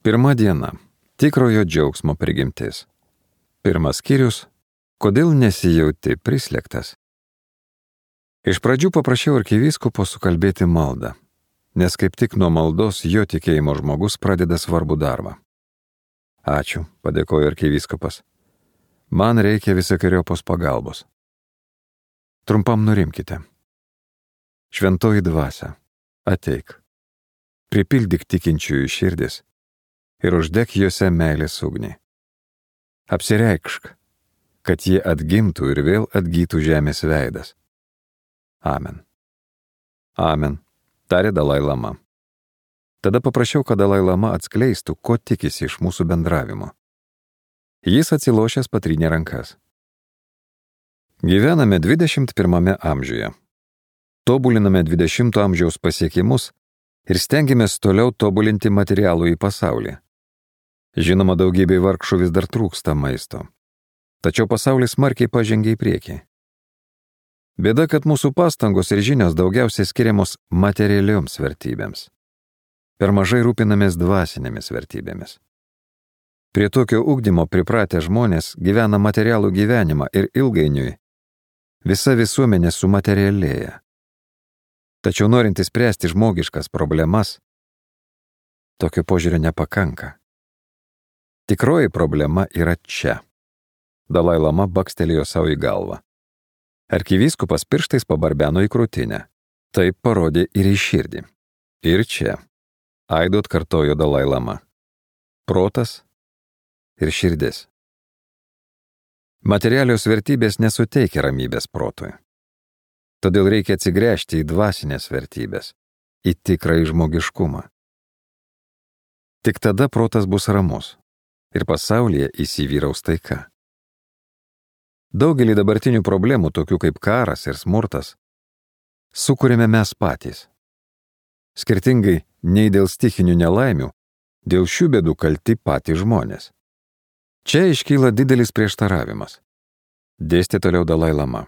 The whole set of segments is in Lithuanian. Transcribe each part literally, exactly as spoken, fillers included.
Pirma diena. Tikrojo džiaugsmo prigimtis. Pirmas skyrius. Kodėl nesijauti prislėgtas? Iš pradžių paprašiau arkivyskupo sukalbėti maldą, nes kaip tik nuo maldos jo tikėjimo žmogus pradeda svarbų darbą. Ačiū, padėkojo arkivyskupas. Man reikia visokeriopos pagalbos. Trumpam nurimkite. Šventoji dvasia, ateik. Pripildyk tikinčiųjų širdis ir uždek juose meilės ugnį. Apsireikšk, kad jie atgimtų ir vėl atgytų žemės veidas. Amen. Amen, tarė Dalai Lama. Tada paprašiau, kad Dalai Lama atskleistų, ko tikisi iš mūsų bendravimo. Jis atsilošęs patrynė rankas. Gyvename dvidešimt pirmame amžiuje. Tobuliname dvidešimto amžiaus pasiekimus ir stengiamės toliau tobulinti materialų į pasaulį. Žinoma, daugybei vargšų vis dar trūksta maisto. Tačiau pasaulis smarkiai pažengė į priekį. Bėda, kad mūsų pastangos ir žinios daugiausiai skiriamos materialioms vertybėms. Per mažai rūpinamės dvasinėmis vertybėmis. Prie tokio ugdymo pripratę žmonės gyvena materialų gyvenimą ir ilgainiui visa visuomenė sumaterialėja. Tačiau norint spręsti žmogiškas problemas, tokio požiūrio nepakanka. Tikroji problema yra čia. Dalai Lama bakstelėjo savo į galvą. Arkivyskupas pirštais pabarbeno į krūtinę. Taip parodė ir į širdį. Ir čia. Aidu atkartojo Dalai Lama. Protas ir širdis. Materialios vertybės nesuteikia ramybės protui. Todėl reikia atsigręžti į dvasinės vertybės, į tikrąjį žmogiškumą. Tik tada protas bus ramus ir pasaulyje įsivyraus taika. Daugelį dabartinių problemų, tokių kaip karas ir smurtas, sukūrėme mes patys. Skirtingai nei dėl stichinių nelaimių, dėl šių bėdų kalti patys žmonės. Čia iškyla didelis prieštaravimas. Dėstė toliau Dalai Lama.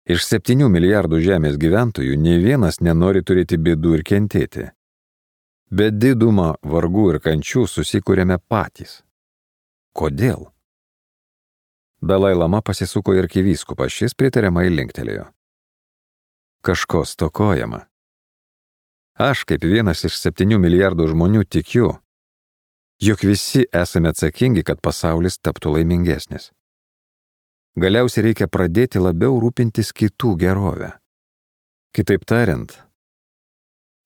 Iš septynių milijardų žemės gyventojų nei vienas nenori turėti bėdų ir kentėti. Bet didumą vargų ir kančių susikūrėme patys. Kodėl? Dalai Lama pasisuko į arkivyskupą, šis pritariamai linktelėjo. Kažko stokojama. Aš, kaip vienas iš septynių milijardų žmonių, tikiu, jog visi esame atsakingi, kad pasaulis taptų laimingesnis. Galiausiai reikia pradėti labiau rūpintis kitų gerovę. Kitaip tariant,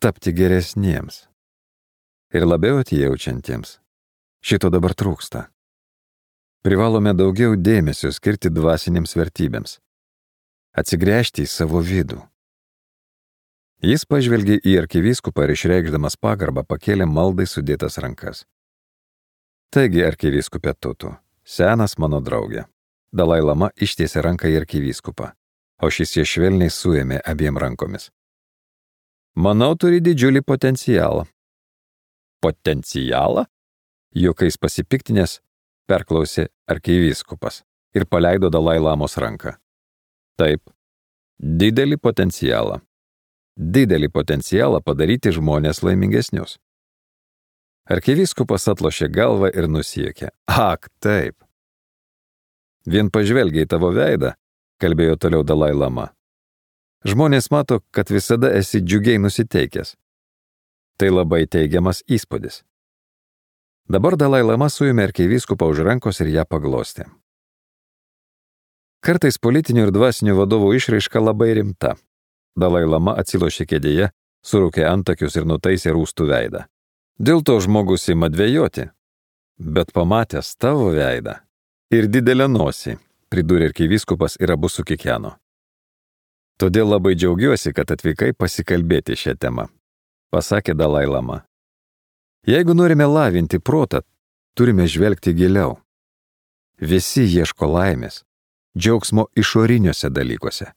tapti geresniems ir labiau atjaučiantiems. Šito dabar trūksta. Privalome daugiau dėmesio skirti dvasinėms vertybėms. Atsigręžti į savo vidų. Jis pažvelgė į arkivyskupą ir išreikšdamas pagarbą pakėlė maldai sudėtas rankas. Taigi, arkivyskupė Tutu, senas mano draugė. Dalai Lama ištiesė ranką į arkivyskupą, o šis ją švelniai suėmė abiem rankomis. Manau, turi didžiulį potencialą. Potencialą? Juokais pasipiktinės perklausė arkivyskupas ir paleido Dalai Lamos ranką. Taip, didelį potencialą. Didelį potencialą padaryti žmonės laimingesnius. Arkivyskupas atlošė galvą ir nusiekė. Ak, taip. Vien pažvelgia į tavo veidą, kalbėjo toliau Dalai Lama. Žmonės mato, kad visada esi džiugiai nusiteikęs. Tai labai teigiamas įspūdis. Dabar Dalai Lama suėmė arkivyskupą už rankos ir ją paglostė. Kartais politinių ir dvasinių vadovų išraiška labai rimta. Dalai Lama atsilošė kėdėje, surūkė antakius ir nutaisė rūstų veidą. Dėl to žmogus ima dvejoti. Bet pamatęs tavo veidą ir didelę nosį, pridūrė arkivyskupas ir abu sukikeno. Todėl labai džiaugiuosi, kad atvykai pasikalbėti šią temą, pasakė Dalai Lama. Jeigu norime lavinti protą, turime žvelgti giliau. Visi ieško laimės, džiaugsmo išoriniuose dalykuose,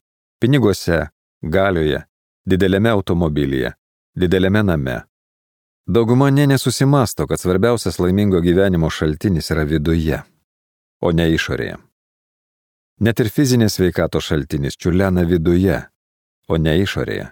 piniguose, galioje, dideliame automobilyje, dideliame name. Dauguma nė nesusimasto, kad svarbiausias laimingo gyvenimo šaltinis yra viduje, o ne išorėje. Net ir fizinės sveikatos šaltinis čiurlena viduje, o ne išorėje.